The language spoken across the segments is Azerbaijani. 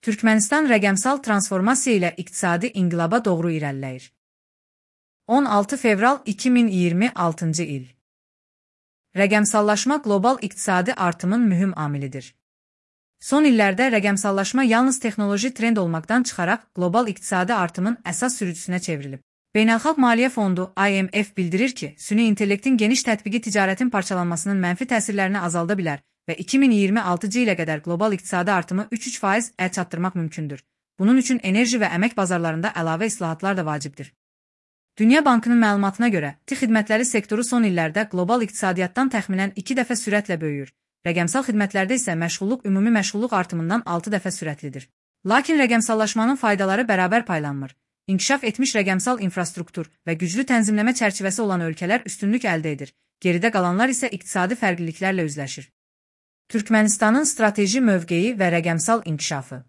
Türkmenistan rəqəmsal transformasiya ilə iqtisadi inqilaba doğru irəliləyir. 16 fevral 2026 il. Rəqəmsallaşma qlobal iqtisadi artımın mühüm amilidir. Son illərdə rəqəmsallaşma yalnız texnoloji trend olmaqdan çıxaraq qlobal iqtisadi artımın əsas sürücüsünə çevrilib. Beynəlxalq Maliyyə Fondu IMF bildirir ki, süni intellektin geniş tətbiqi ticarətin parçalanmasının mənfi təsirlərini azalda bilər və 2026 ilə qədər qlobal iqtisadi artımı 3,3% çatdırmaq mümkündür. Bunun üçün enerji və əmək bazarlarında əlavə islahatlar da vacibdir. Dünya Bankının məlumatına görə, xidmətləri sektoru son illərdə qlobal iqtisadiyyatdan təxminən 2 dəfə sürətlə böyüyür. Rəqəmsal xidmətlərdə isə məşğulluq ümumi məşğulluq artımından 6 dəfə sürətlidir. Lakin rəqəmsallaşmanın faydaları bərabər paylanmır. İnkişaf etmiş rəqəmsal infrastruktur və güclü tənzimləmə çərçivəsi olan ölkələr üstünlük əldə edir. Geridə qalanlar isə iqtisadi fərqliliklərlə üzləşir. Türkmənistanın strateji mövqeyi və rəqəmsal inkişafı.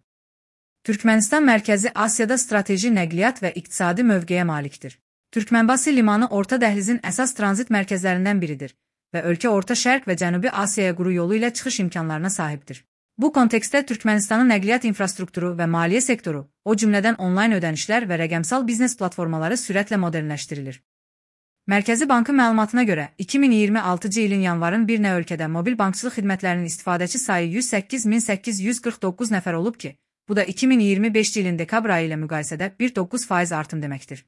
Türkmənistan Mərkəzi Asiyada strateji nəqliyyat və iqtisadi mövqeyə malikdir. Türkmenbası limanı Orta Dəhlizin əsas tranzit mərkəzlərindən biridir və ölkə Orta Şərq və Cənubi Asiyaya quru yolu ilə çıxış imkanlarına sahibdir. Bu kontekstdə Türkmənistanın nəqliyyat infrastrukturu və maliyyə sektoru, o cümlədən onlayn ödənişlər və rəqəmsal biznes platformaları sürətlə modernləşdirilir. Mərkəzi Bankın məlumatına görə, 2026 ilin yanvarın 1-nə ölkədə mobil bankçılıq xidmətlərinin istifadəçi sayı 108.849 nəfər olub ki, bu da 2025 ilin dekabr ayı ilə müqayisədə 1,9% artım deməkdir.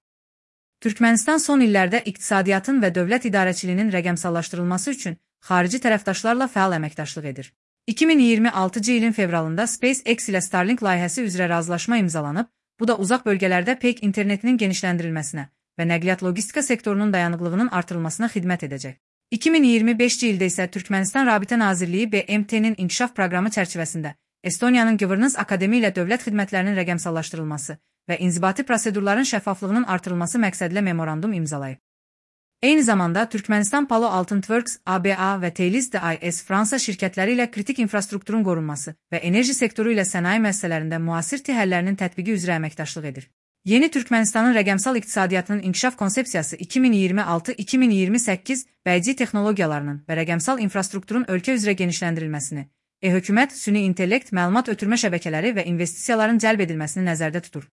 Türkmənistan son illərdə iqtisadiyyatın və dövlət idarəçiliyinin rəqəmsallaşdırılması üçün xarici tərəfdaşlarla fəal əməkdaşlıq edir. 2026 ilin fevralında SpaceX ilə Starlink layihəsi üzrə razılaşma imzalanıb, bu da uzaq bölgələrdə peyk internetinin genişləndirilməsinə və nəqliyyat logistika sektorunun dayanıqlığının artırılmasına xidmət edəcək. 2025 ildə isə Türkmənistan Rabitə Nazirliyi BMT-nin inkişaf proqramı çərçivəsində Estoniyanın Governance Akademi ilə dövlət xidmətlərinin rəqəmsallaşdırılması və inzibati prosedurların şəffaflığının artırılması məqsədilə memorandum imzalayıb. Eyni zamanda Türkmənistan Palo Alto Networks, ABA və Thales DIS Fransa şirkətləri ilə kritik infrastrukturun qorunması və enerji sektoru ilə sənaye müəssisələrində müasir həllərinin tətbiqi üzrə əməkdaşlıq edir. Yeni Türkmənistanın rəqəmsal iqtisadiyyatının inkişaf konsepsiyası 2026-2028 bəyci texnologiyalarının və rəqəmsal infrastrukturun ölkə üzrə genişləndirilməsini, hökumət, süni intellekt, məlumat ötürmə şəbəkələri və investisiyaların cəlb edilməsini nəzərdə tutur.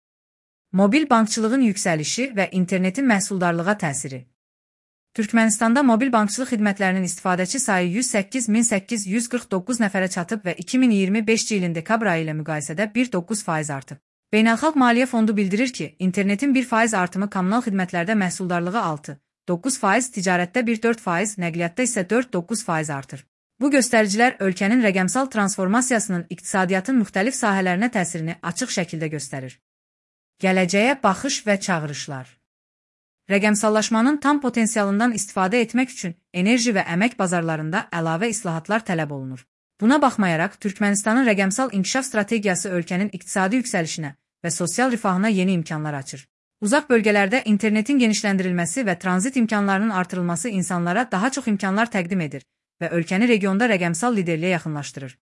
Mobil bankçılığın yüksəlişi və internetin məhsuldarlığa təsiri. Türkmənistanda mobil bankçılıq xidmətlərinin istifadəçi sayı 108.849 nəfərə çatıb və 2025 ilin dekabr ayı ilə müqayisədə 1,9% artıb. Beynəlxalq Maliyyə Fondu bildirir ki, internetin 1% artımı kommunal xidmətlərdə məhsuldarlığı 6,9%, ticarətdə 1,4%, nəqliyyatda isə 4,9% artır. Bu göstəricilər ölkənin rəqəmsal transformasiyasının iqtisadiyyatın müxtəlif sahələrinə təsirini açıq şəkildə göstərir. Gələcəyə baxış və çağırışlar. Rəqəmsallaşmanın tam potensialından istifadə etmək üçün enerji və əmək bazarlarında əlavə islahatlar tələb olunur. Buna baxmayaraq, Türkmənistanın rəqəmsal inkişaf strategiyası ölkənin iqtisadi yüksəlişinə və sosial rifahına yeni imkanlar açır. Uzaq bölgələrdə internetin genişləndirilməsi və tranzit imkanlarının artırılması insanlara daha çox imkanlar təqdim edir və ölkəni regionda rəqəmsal liderliyə yaxınlaşdırır.